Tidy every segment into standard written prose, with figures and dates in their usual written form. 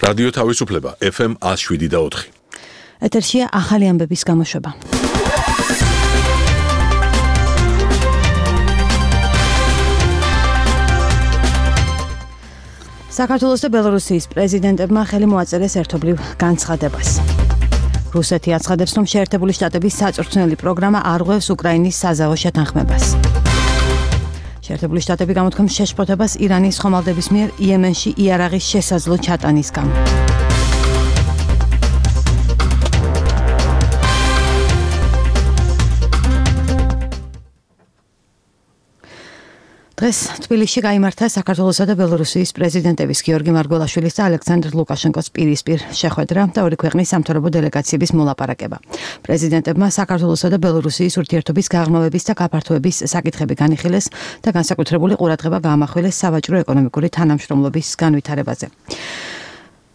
რადიო თავისუფლება FM 107.4. ეთერშია ახალი ამბების გამოშვება. საქართველოს და ბელორუსიის პრეზიდენტებმა ხელი მოაწერეს ერთობლივ განცხადებას. რუსეთი აცხადებს, რომ შეერთებული შტატების საწვრთნელი პროგრამა არ ღვევს უკრაინის საზავო შეთანხმებას. შეერთებული შტატები გამოთქვამს შეშფოთებას ირანის ხომალდების მიერ იემენში იარაღის შესაძლო ჩატანის გამო. დღეს თბილისში გაიმართა საქართველოსა და ბელორუსიის პრეზიდენტების გიორგი მარგველაშვილის და ალექსანდრ ლუკაშენკოს პირისპირ შეხვედრა და ორი ქვეყნის სამთავრობო დელეგაციების მოლაპარაკება. პრეზიდენტებმა საქართველოსა და ბელორუსიის ურთიერთობის გაღრმავების და გაფართოების საკითხები განიხილეს და განსაკუთრებული ყურადღება გაამახვილეს სავაჭრო-ეკონომიკური თანამშრომლობის განვითარებაზე.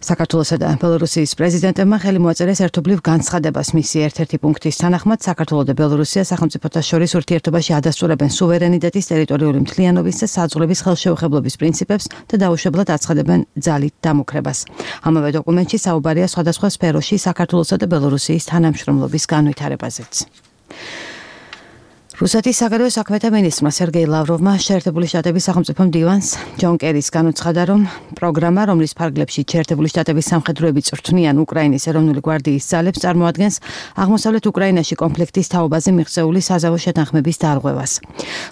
საქართველოსა და ბელორუსიის პრეზიდენტებმა ხელი მოაწერეს ერთობლივ განცხადებას. მისი ერთ-ერთი პუნქტის თანახმად საქართველო და ბელორუსია სახელმწიფოთა შორის ურთიერთობაში ადასტურებენ სუვერენიტეტის, ტერიტორიული მთლიანობის და საზღვრების ხელშეუხებლობის პრინციპებს და დაუშვებლად აცხადებენ ძალით დამოკრებას. ამავე დოკუმენტში საუბარია სხვადასხვა სფეროში საქართველოსა და ბელორუსიის თანამშრომლობის განვითარებაზეც. რუსეთის საგარეო საქმეთა მინისტრმა სერგეი ლავროვმა შეერთებული შტატების სახელმწიფო მდივანს ჯონ კერის განუცხადა, რომ პროგრამა, რომლის ფარგლებში შეერთებული შტატების სამხედროები წვრთნიან უკრაინის ეროვნული გვარდიის ძალებს, წარმოადგენს აღმოსავლეთ უკრაინაში კონფლიქტის თაობაზე მიღწეული საზავო შეთანხმების დარღვევას.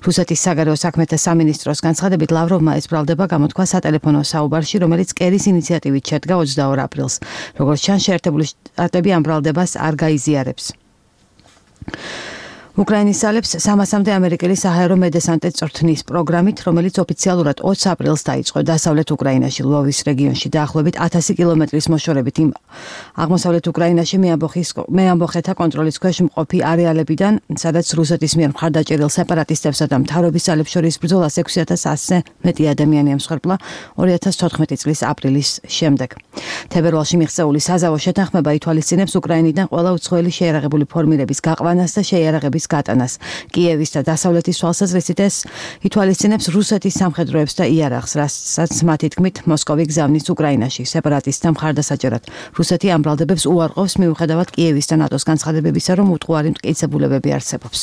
რუსეთის საგარეო საქმეთა სამინისტროს განცხადებით, ლავროვმა ეს ბრალდება გამოთქვა სატელეფონო საუბარში, რომელიც კერის ინიციატივით შედგა 22 აპრილს. როგორც ჩანს, შეერთებული შტატები ამ ბრალდებას არ გაიზიარებს. უკრაინის ძალებს 300-მდე ამერიკელი საჰაერო მედესანტე წვრთნის პროგრამით, რომელიც ოფიციალურად 20 აპრილს დაიწყო დასავლეთ უკრაინაში, ლვოვის რეგიონში დაახლოებით 1000 კილომეტრის მოშორებით იმ აღმოსავლეთ უკრაინაში მეამბოხეთა კონტროლის ქვეშ მყოფი არეალებიდან, სადაც რუსეთის მიერ მხარდაჭერილ სეპარატისტებსა და მთავრობის ძალებს შორის ბრძოლას 6100-ზე მეტი ადამიანი ემსხვერპლა 2014 წლის აპრილის შემდეგ. თებერვალში მიღწეული საზავო შეთანხმება ითვალისწინებს უკრაინიდან ყველა უცხოელი შეიარაღებული ფორმირების გაყვანას და შეიარაღების გატანას. კიევის და დასავლეთის თვალსაზრისით ეს ითვალისწინებს რუსეთის სამხედროებს და იარაღს, რასაც მათი თქმით მოსკოვი გზავნის უკრაინაში სეპარატისტთა მხარდასაჭერად. რუსეთი ამ ბრალდებებს უარყოფს, მიუხედავად კიევის და ნატოს განცხადებებისა, რომ უთუარი მტკიცებულებები არსებობს.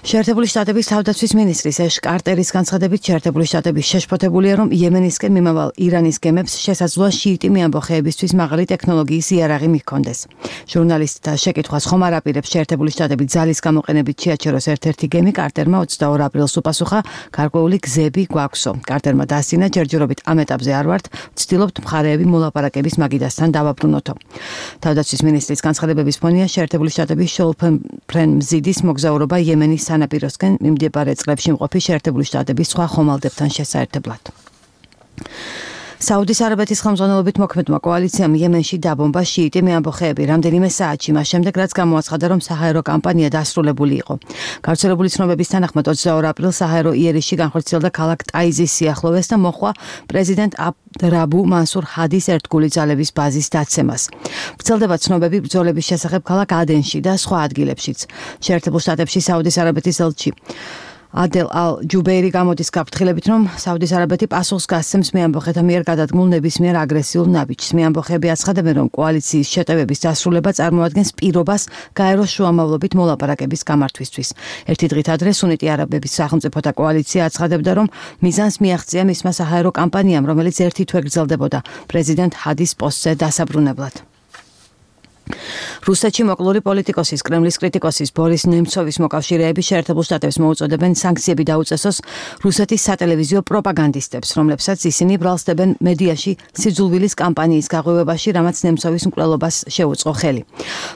შეერთებული შტატების თავდაცვის მინისტრის ეშ კარტერის განცხადებით, შეერთებული შტატები შეშფოთებულია, რომ იემენისკენ მიმავალ ირანის გემებს შესაძლოა შიიტი მეამბოხეებისთვის მაღალი ტექნოლოგიის იარაღი მიჰქონდეს. ჟურნალისტთა შეკითხვას ხომ არ აპირებს შეერთებული შტატები ძალის გამოყენებით შეაჩეროს ერთ-ერთი გემი, კარტერმა 22 აპრილს უპასუხა, გარკვეული გზები გვაქვსო. კარტერმა დაასწინა, ჯერჯერობით ამ ეტაპზე არ ვართ, ვცდილობთ მხარეები მოლაპარაკების მაგიდასთან დავაბრუნოთო. თავდაცვის მინისტრის განცხადებების ფონია შეერთებული შტატების შეულფრენ მზიდის მოგზაურობა იემენის სანაპიროსკენ მიმდებარე წყლებში მყოფი შეერთებული შტატების სხვა ხომალდებთან შესაერთებლად. საუდის არაბეთის ხელმძღვანელობით მოქმედმა კოალიციამ იემენში დაბომბა შიიტი მეამბოხეები რამდენიმე საათში მას შემდეგ, რაც გამოაცხადა, რომ საჰაერო კამპანია დასრულებული იყო. გავრცელებული ცნობების თანახმად 22 აპრილს საჰაერო იერიშში განხორციელდა ქალაქ ტაიზის სიახლოვეს და მოჰყვა პრეზიდენტ აბდრაბუ მანსურ ჰადის ერთგული ძალების ბაზის დაცემას. ვრცელდება ცნობები ბრძოლების შესახებ ქალაქ ადენში და სხვა ადგილებშიც. შეერთებულ შტატებში საუდის არაბეთის ელჩი ადელ ალ-ჯუბეირი გამოდის გაფრთხილებით, რომ საუდის არაბეთი პასუხს გასცემს მეამბოხეთა მიერ გადადგმულ ნებისმიერ აგრესიულ ნაბიჯს. მეამბოხეები აცხადებენ, რომ კოალიციის შეტევების დასრულება წარმოადგენს პირობას გაეროს შუამავლობით მოლაპარაკების გამართვისთვის. ერთი დღით ადრე სუნიტი არაბების სახელმწიფოთა კოალიცია აცხადებდა, რომ მიზანს მიაღწია მისმა საჰაერო კამპანიამ, რომელიც ერთი თვე გრძელდებოდა პრეზიდენტ ჰადის პოსტზე დასაბრუნებლად. რუსეთში მოკლული პოლიტიკოსის, კრემლის კრიტიკოსის ბორის ნემცოვის მოკავშირეები შეერთებულ შტატებს მოუწოდებენ სანქციები დაუწესოს რუსეთის სატელევიზიო პროპაგანდისტებს, რომლებსაც ისინი ბრალსდებენ მედიაში სიძულვილის კამპანიის გაღვივებაში, რამაც ნემცოვის მკვლელობას შეუწყო ხელი.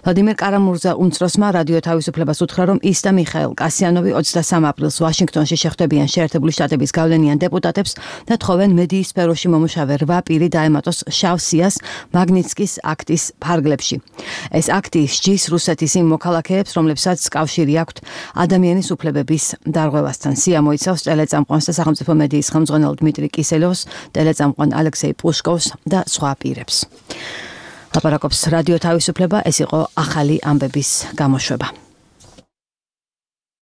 ვლადიმერ კარამურზა უმცროსმა რადიო თავისუფლებას უთხრა, რომ ის და მიხაილ კასიანოვი 23 აპრილს ვაშინგტონში შეხვდებიან შეერთებული შტატების გავლენიან დეპუტატებს და თხოვენ მედიის სფეროში მომუშავე 8 პირი დაემატოს შავ სიას მაგნიცკის აქტის ფარგლებში. ეს აქტი სჯის რუსეთის იმ მოქალაქეებს, რომლებსაც კავშირი აქვთ ადამიანის უფლებების დარღვევასთან. სია მოიცავს ტელეწამყვანს და სახელმწიფო მედიის ხელმძღვანელ დმიტრი კისელოვს, ტელეწამყვან ალექსეი პუშკოვს და სხვა პირებს. ლაპარაკობს რადიო თავისუფლება, ეს იყო ახალი ამბების გამოშვება.